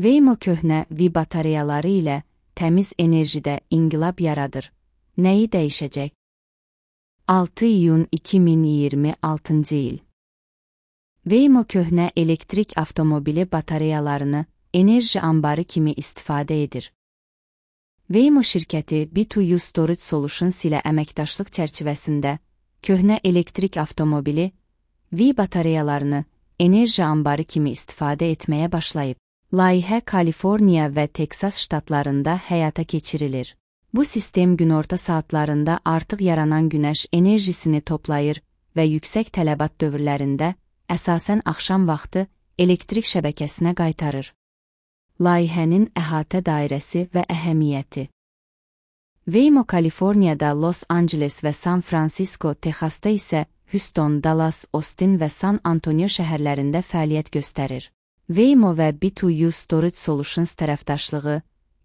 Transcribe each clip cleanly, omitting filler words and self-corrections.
Waymo köhnə V batareyaları ilə təmiz enerjidə inqilab yaradır. Nəyi dəyişəcək? 6 iyun 2026 il. Waymo köhnə elektrik avtomobili batareyalarını enerji ambarı kimi istifadə edir. Waymo şirkəti B2U Storage Solutions ilə əməkdaşlıq çərçivəsində köhnə elektrik avtomobili V batareyalarını enerji ambarı kimi istifadə etməyə başlayıb. Layihə Kaliforniya və Teksas ştatlarında həyata keçirilir. Bu sistem günorta saatlarında artıq yaranan günəş enerjisini toplayır və yüksək tələbat dövrlərində, əsasən axşam vaxtı, elektrik şəbəkəsinə qaytarır. Layihənin əhatə dairəsi və əhəmiyyəti. Waymo Kaliforniyada, Los Angeles və San Francisco, Texasda isə Houston, Dallas, Austin və San Antonio şəhərlərində fəaliyyət göstərir. Waymo və B2U Storage Solutions tərəfdaşlığı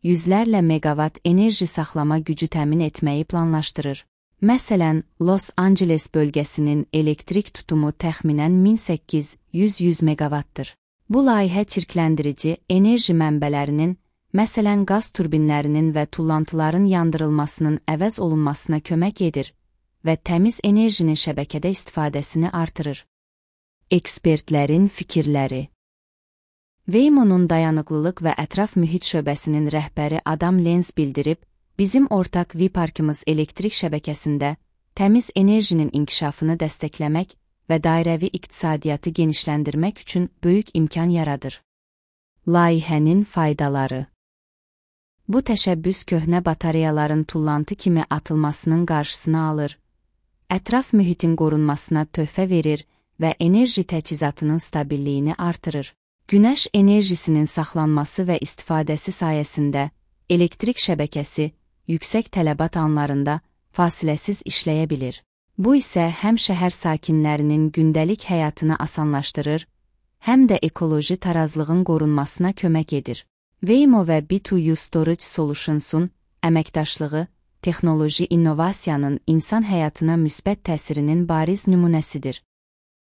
yüzlərlə meqavat enerji saxlama gücü təmin etməyi planlaşdırır. Məsələn, Los Angeles bölgəsinin elektrik tutumu təxminən 1800 meqavatdır. Bu layihə çirkləndirici enerji mənbələrinin, məsələn qaz turbinlərinin və tullantıların yandırılmasının əvəz olunmasına kömək edir və təmiz enerjinin şəbəkədə istifadəsini artırır. Ekspertlərin fikirləri. Waymo'nun dayanıqlılıq və ətraf mühit şöbəsinin rəhbəri Adam Lenz bildirib, bizim ortaq V-parkımız elektrik şəbəkəsində təmiz enerjinin inkişafını dəstəkləmək və dairəvi iqtisadiyyatı genişləndirmək üçün böyük imkan yaradır. Layihənin faydaları. Bu təşəbbüs köhnə batareyaların tullantı kimi atılmasının qarşısını alır, ətraf mühitin qorunmasına töhfə verir və enerji təchizatının stabilliyini artırır. Günəş enerjisinin saxlanması və istifadəsi sayəsində elektrik şəbəkəsi yüksək tələbat anlarında fasiləsiz işləyə bilir. Bu isə həm şəhər sakinlərinin gündəlik həyatını asanlaşdırır, həm də ekoloji tarazlığın qorunmasına kömək edir. Waymo və B2U Storage Solutions'un əməkdaşlığı texnoloji innovasiyanın insan həyatına müsbət təsirinin bariz nümunəsidir.